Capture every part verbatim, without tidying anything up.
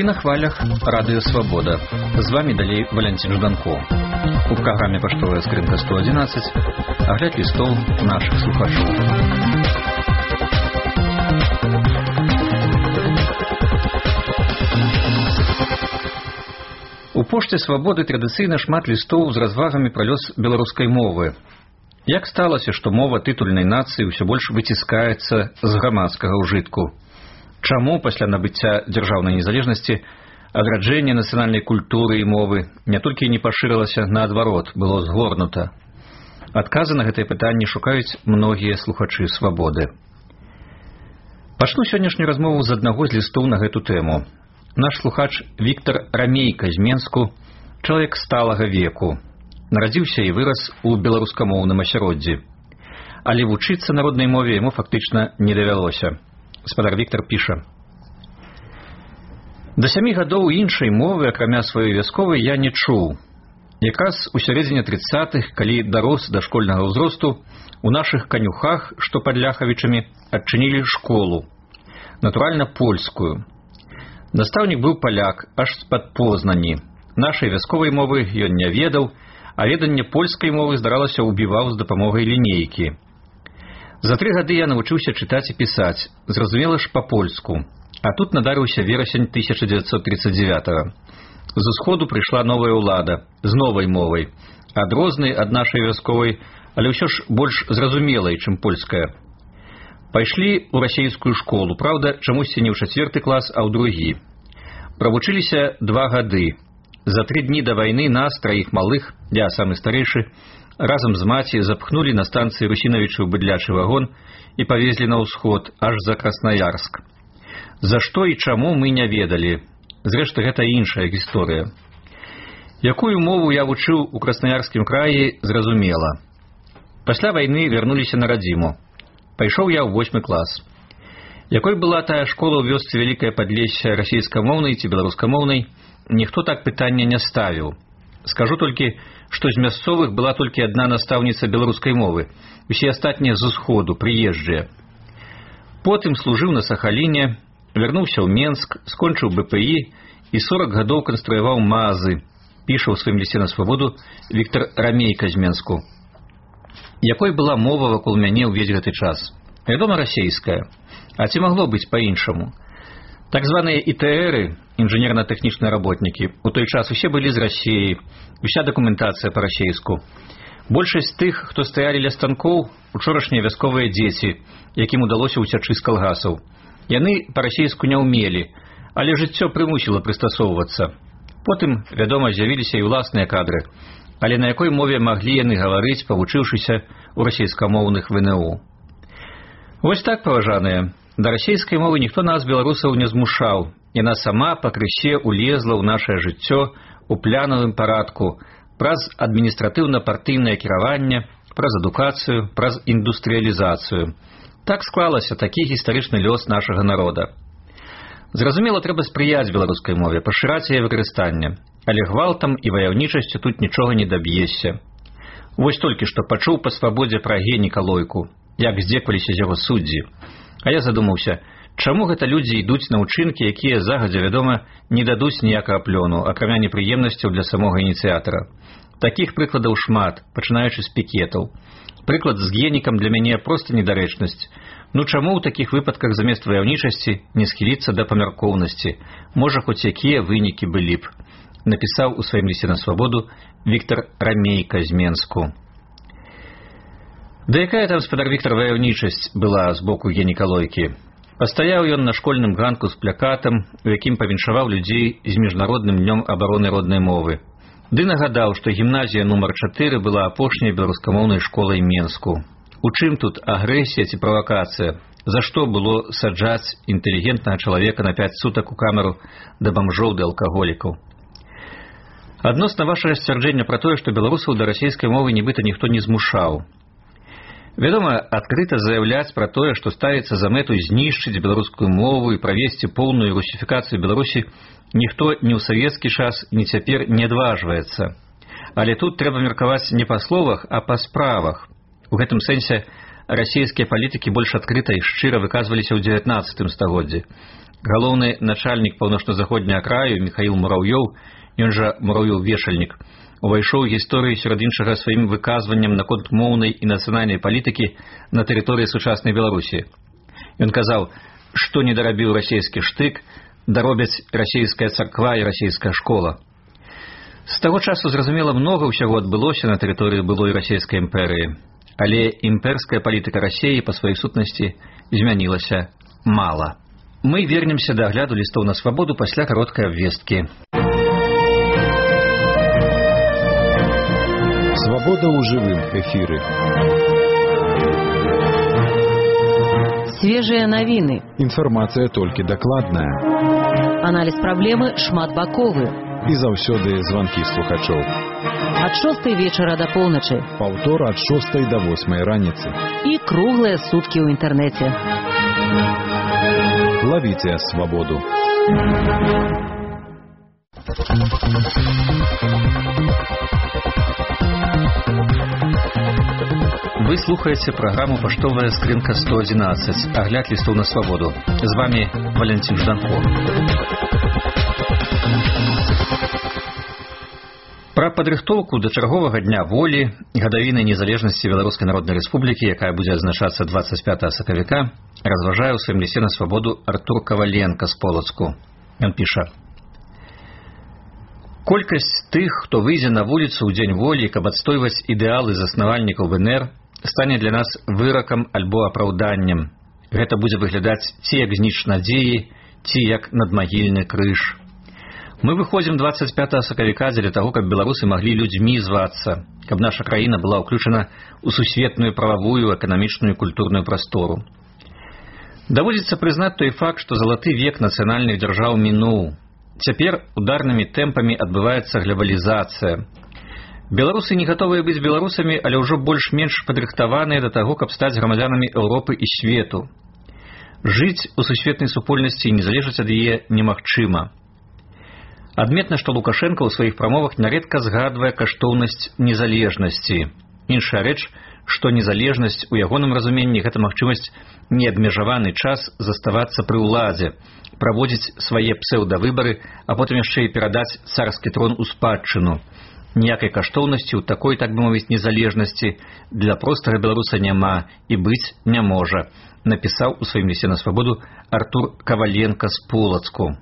на хвалях Радио Свобода. З вами далей Валентин Жданко. У программе «Поштовая скринка сто одиннадцать» огляд листов наших слухачов. У Пошце Свабоды традыцыйна шмат лістоў з развагамі пра лёс беларускай мовы. Як сталася, што мова тытульнай нацыі ўсё больш выціскаецца з грамадскага ўжытку? Чаму пасля набыцця дзяржаўнай незалежнасці адраджэнне нацыянальнай культуры і мовы не толькі не пашырылася, наадварот, было згорнута? Адказы на гэтыя пытанні шукаюць многія слухачы Свабоды. Пачну сённяшнюю размову з аднаго з лістоў на гэту тэму. Наш слухач Віктор Рамейка з Менску, чалавек сталага веку, нарадзіўся і вырас у беларускамоўным асяроддзі. Але вучыцца народнай мове яму фактычна не давялося. Спадар Віктор піша: «Да сямі гадоў іншай мовы, акрамя сваёй вясковай, я не чуў. Якраз у сярэдзіне трыццатых, калі дарос да школьнага ўзросту, у нашых канюхах, што пад Ляхавічамі, адчынілі школу. Натуральна, польскую. Настаўнік быў паляк, аж з-пад Познані. Нашай вясковай мовы ён не ведаў, а веданне польскай мовы, здаралася, убіваў з дапамогай лінейкі. За тры гады я навучыўся чытаць і пісаць, зразумела ж па-польску. А тут надарыўся верасень тысяча дзевяцьсот тридцать девятого. З усходу прыйшла новая ўлада, з новай мовай, адрознай ад нашай вясковай, але ўсё ж больш зразумелай, чым польская. Пайшлі ў расейскую школу, праўда, чамусьці не ў чацвёрты клас, а ў другі. Правучыліся два гады. За тры дні да вайны нас, траіх малых, я самы старэйшы, разам з маці запхнулі на станцыі Русінавічаў быдлячы вагон і павезлі на ўсход, аж за Краснаярск. За што і чаму мы не ведалі. Зрэшты, гэта іншая гісторыя. Якую мову я вучыў у Краснаярскім краі, зразумела. Пасля вайны вярнуліся на радзіму. Пайшоў я ў восьмы клас. Якой была тая школа ў вёсцы Вялікае Падлессе, расейскамоўнай ці беларускамоўнай, ніхто так пытання не ставіў. Скажу толькі, што з мясцовых была толькі адна настаўніца беларускай мовы, усе астатнія з усходу, прыезджыя. Потым служыў на Сахаліне, вярнуўся ў Менск, скончыў бэ пэ і і сорак гадоў канструяваў мазы, піша ў сваім лісце на Свабоду Віктор Рамейка з Менску. Якой была мова вакол мяне ўвесь гэты час? Вядома, расейская. А ці магло быць па-іншаму? Так званыя і тэ эры, інжынерна-тэхнічныя работнікі, у той час усе былі з Расіі, уся дакументацыя па-расейску. Большасць тых, хто стаялі ля станкоў, учорашнія вясковыя дзеці, якім удалося ўцячы з калгасаў. Яны па-расейску не ўмелі, але жыццё прымусіла прыстасоўвацца. Потым, вядома, з'явіліся і ўласныя кадры, але на якой мове маглі яны гаварыць, павучыўшыся ў расейскамоўных вэ эн у. Вось так, паважаныя, да расейскай мовы ніхто нас, беларусаў, не змушаў. Яна сама пакрысе улезла ў нашае жыццё у планавым парадку праз адміністратыўна-партыйнае кіраванне, праз адукацыю, праз індустрыялізацыю. Так склалася такі гістарычны лёс нашага народа. Зразумела, трэба спрыяць беларускай мове, пашыраць яе выкарыстанне, але гвалтам і ваяўнічасцю тут нічога не даб'ешся. Вось толькі што пачуў па Свабодзе пра Генніка Лойку, як здзекваліся з яго суддзі. А я задумаўся, чаму гэта людзі ідуць на ўчынкі, якія загадзя, вядома, не дадуць ніякага плёну, акрамя непрыемнасцяў для самога ініцыятара. Такіх прыкладаў шмат, пачынаючы з пікетаў. Прыклад з Геннікам для мяне проста недарэчнасць. Ну чаму ў такіх выпадках замест ваяўнічасці не схіліцца да памяркоўнасці? Можа, хоць якія вынікі былі б. Напісаў у сваім лісце на Свабоду Віктор Рамейка з Менску. Да якая там, спадар Віктор, ваяўнічасць была з боку Генніка Лойкі? Пастаяў ён на школьным ганку з плякатам, у якім павіншаваў людзей з міжнародным днём абароны роднай мовы. Ды нагадаў, што гімназія нумар чатыры была апошняй беларускамоўнай школай Менску. У чым тут агрэсія ці правакацыя? За што было саджаць інтэлігентнага чалавека на пяць сутак у камеру да бамжоў ды алкаголікаў? Адносна вашага сцвярджэння пра тое, што беларусаў да расейскай мовы нібыта ніхто не змушаў. Вядома, адкрыта заяўляць пра тое, што ставіцца за мэту знішчыць беларускую мову і правесці поўную русіфікацыю Беларусі, ніхто ні ў савецкі час, ні цяпер не адважваецца. Але тут трэба меркаваць не па словах, а па справах. У гэтым сэнсе расійскія палітыкі больш адкрыта і шчыра выказваліся ў дзевятнаццатым стагоддзі. Галоўны начальнік паўночна-заходняга краю Михаил Мураўёў, ён жа Мураўёў-вешальнік, увайшоў у гісторыю сярод іншага сваім выказваннем наконт моўнай і нацыянальнай палітыкі на тэрыторыі сучаснай Беларусі. Ён казаў, што не дарабіў расійскі штык, даробяць расійская царква і расійская школа. З таго часу, зразумела, многа ўсяго адбылося на тэрыторыі былой расійскай імперыі, але імперская палітыка Расіі па сваёй сутнасці змянілася мала. Мы вернемся да агляду лістоў на свабоду пасля кароткай абвесткі. Свабода ў жывым эфіры. Свежыя навіны. Інфармацыя толькі дакладная. Аналіз праблемы шматбаковы. І заўсёды званкі слухачоў. Ад шостай вечара да поўначы. Паўтор ад шостай да восьмай раніцы. І круглыя суткі ў інтэрнэце. Лавіце свабоду. Вы слухаеце праграму «Паштовая скрынка сто адзінаццаць», агляд лістоў на свабоду. З вами Валентин Жданко. Пра падрыхтоўку да чарговага дня волі, гадавіны незалежнасці Беларускай Народнай Рэспублікі, якая будзе адзначацца дваццаць пятага сакавіка, разважае ў сваім лісце на свабоду Артур Каваленка з Полацку. Ён піша: колькасць тых, хто выйдзе на вуліцу ў дзень волі, каб адстойваць ідэалы заснавальнікаў ВНР, стане для нас выракам альбо апраўданнем. Гэта будзе выглядаць ці як зніч надзеі, ці як надмагільны крыж. Мы выходзім дваццаць пятага сакавіка дзеля таго, каб беларусы маглі людзьмі звацца, каб наша краіна была ўключана ў сусветную прававую, эканамічную і культурную прастору. Даводзіцца прызнаць той факт, што залаты век нацыянальных дзяржаў мінуў. Цяпер ударнымі тэмпамі адбываецца глобалізацыя. Беларусы не гатовыя быць беларусамі, але ўжо больш-менш падрыхтаваныя да таго, каб стаць грамадзянамі Еўропы і свету. Жыць у сусветнай супольнасці і не залежаць ад яе немагчыма. Адметна, што Лукашенко ў сваіх прамовах нярэдка згадвае каштоўнасць незалежнасці. Іншая рэч, што незалежнасць у ягоным разуменні гэта магчымасць неабмежаваны час заставацца пры ўладзе, праводзіць свае псеўдавыбары, а потым яшчэ і перадаць царскі трон у спадчыну. Ніякай каштоўнасці ў такой, так бы мовіць, незалежнасці для простага беларуса няма і быць не можа, напісаў у сваім лісце на свабоду Артур Каваленка з Полацку.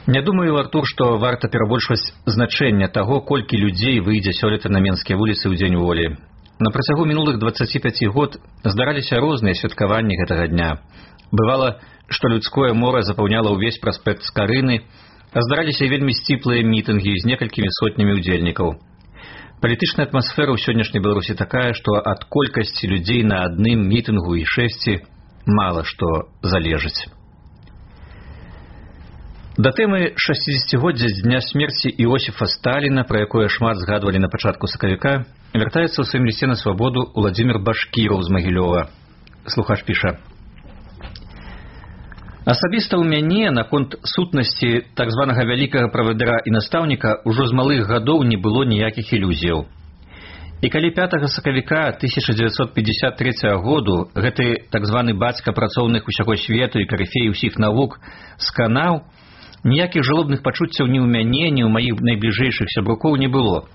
Не думаю, Артур, што варта перабольшваць значэнне таго, колькі людзей выйдзе сёлета на менскія вуліцы ў дзень волі. На працягу мінулых дваццаці пяці год здараліся розныя святкаванні гэтага дня. Бывала, што людское мора запаўняла ўвесь праспект Скарыны, а здараліся і вельмі сціплыя мітынгі з некалькімі сотнямі ўдзельнікаў. Палітычная атмасфера ў сённяшняй Беларусі такая, што ад колькасці людзей на адным мітынгу і шэсці мала што залежыць. Да тэмы шасцідзесяцігоддзя з дня смерці Іосіфа Сталіна, пра якое шмат згадвалі на пачатку сакавіка, вяртаецца ў сваім лісце на свабоду Уладзімір Башкіраў з Магілёва. Слухач піша: асабіста ў мяне наконт сутнасці так званага вялікага правадыра і настаўніка ўжо з малых гадоў не было ніякіх ілюзіяў. І калі пятага сакавіка тысяча дзевяцьсот пятьдесят трэцяга году гэты так званы бацька працоўных усяго свету і карыфей усіх навук сканаў, ніякіх жалобных пачуццяў ні ў мяне, ні ў маіх найбліжэйшых сябрукоў не было.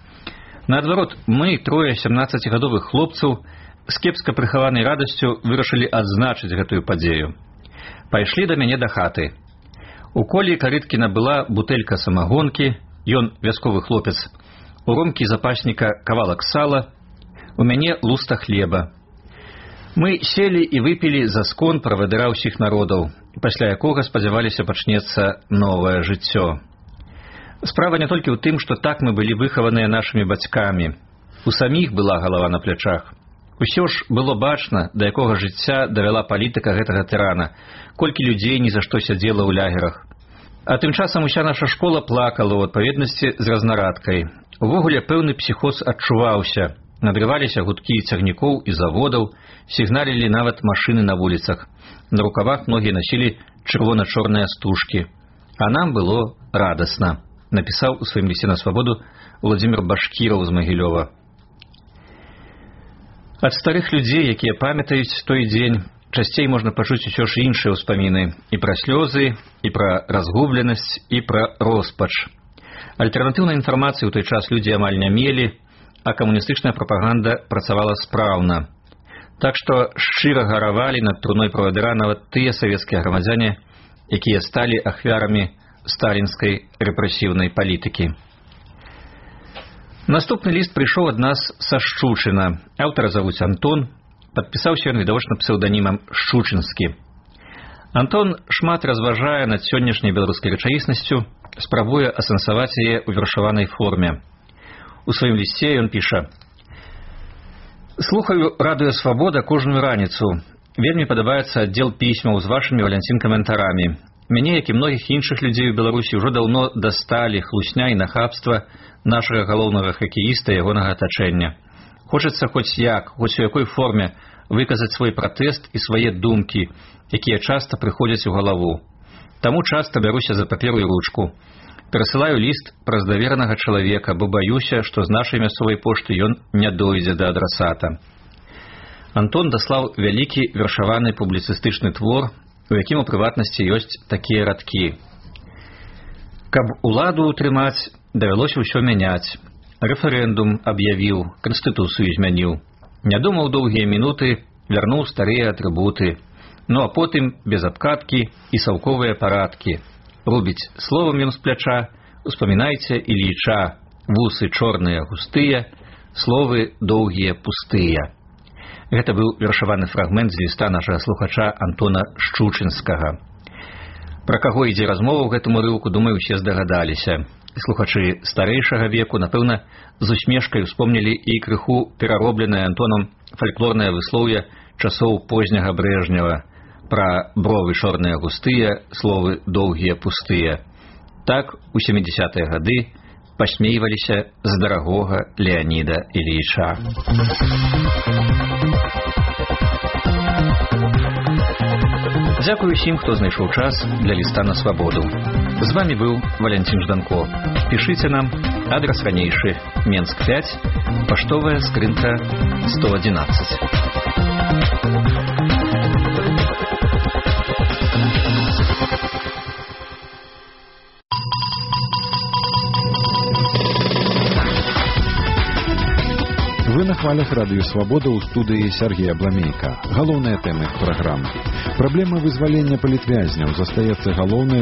Наадварот, мы, трое сямнаццацігадовых хлопцаў, з кепска прыхаванай радасцю вырашылі адзначыць гэтую падзею. Пайшлі да мяне да хаты. У Колі Карыткіна была бутэлька самагонкі, ён вясковы хлопец, у Ромкі запасніка кавалак сала, у мяне луста хлеба. Мы селі і выпілі за скон правадыра ўсіх народаў, пасля якога, спадзяваліся, пачнецца новае жыццё. Справа не толькі ў тым, што так мы былі выхаваныя нашымі бацькамі. У саміх была галава на плячах. Усё ж было бачна, да якога жыцця давяла палітыка гэтага тырана, колькі людзей ні за што сядзела ў лягерах. А тым часам уся наша школа плакала ў адпаведнасці з разнарадкай. Увогуле пэўны псіхоз адчуваўся. Надрываліся гудкі цягнікоў і заводаў, сігналілі нават машыны на вуліцах. На рукавах многія насілі чырвона-чорныя стужкі. А нам было радасна, напісаў у сваім лісце на свабоду Уладзімір Башкіраў з Магілёва. Ад старых людзей, якія памятаюць той дзень, часцей можна пачуць усё ж іншыя ўспаміны і пра слёзы, і пра разгубленасць, і пра роспач. Альтэрнатыўнай інфармацыі ў той час людзі амаль не мелі, а камуністычная прапаганда працавала спраўна. Так што шчыра гаравалі над труной правадыра нават тыя савецкія грамадзяне, якія сталі ахвярамі сталінскай рэпрэсіўнай палітыкі. Наступны ліст прыйшоў ад нас са Шчучына. Аўтара завуць Антон, падпісаўся ён відавочна псеўданімам Шчучынскі. Антон шмат разважае над сённяшняй беларускай рэчаіснасцю, спрабуе асэнсаваць яе ў вершаванай форме. У сваім лісце ён піша: «Слухаю радыё «Свабода» кожную раніцу. Вельмі падабаецца аддзел пісьмаў з вашымі валянцін-каментарамі. Мяне, як і многіх іншых людзей у Беларусі, ўжо даўно дасталі хлусня і нахабства нашага галоўнага хакеіста і ягонага атачэння. Хочацца хоць як, хоць у якой форме выказаць свой пратэст і свае думкі, якія часта прыходзяць у галаву. Таму часта бяруся за паперу і ручку. Перасылаю ліст праз даверанага чалавека, бо баюся, што з нашай мясцовай пошты ён не дойдзе да адрасата». Антон даслаў вялікі вершаваны публіцыстычны твор, у якім у прыватнасці ёсць такія радкі. «Каб уладу утрымаць, давялося ўсё мяняць. Рэферэндум аб'явіў, канстытуцыю змяніў. Не думаў доўгія мінуты, вярнуў старыя атрыбуты. Ну а потым без абкаткі і саўковыя парадкі. Рубіць словам ён з пляча, успамінайце Ільіча, вусы чорныя густыя, словы доўгія пустыя». Гэта быў вершаваны фрагмент з ліста нашага слухача Антона Шчучынскага. Пра каго ідзе размова ў гэтым урыўку, думаю, усе здагадаліся. Слухачы старэйшага веку, напэўна, з усмешкай успомнілі і крыху пераробленае Антонам фальклорнае выслоўе часоў позняга Брэжнева пра бровы чорныя густыя, словы доўгія пустыя. Так у сямідзясятыя гады пасмейваліся з дарагога Леаніда Ільіча. Дзякую усім, хто знайшоў час для ліста на свабоду. З вами быў Валянцін Жданко. Пішыце нам, адрас ранейшы, Менск пяць, паштовая скрынка сто адзінаццаць. Вы на хвалях радыё «Свабода» ў студыі Сергея Бламейка. Галоўныя тэмы праграмы. Праблема вызвалення палітвязняў застаецца галоўнай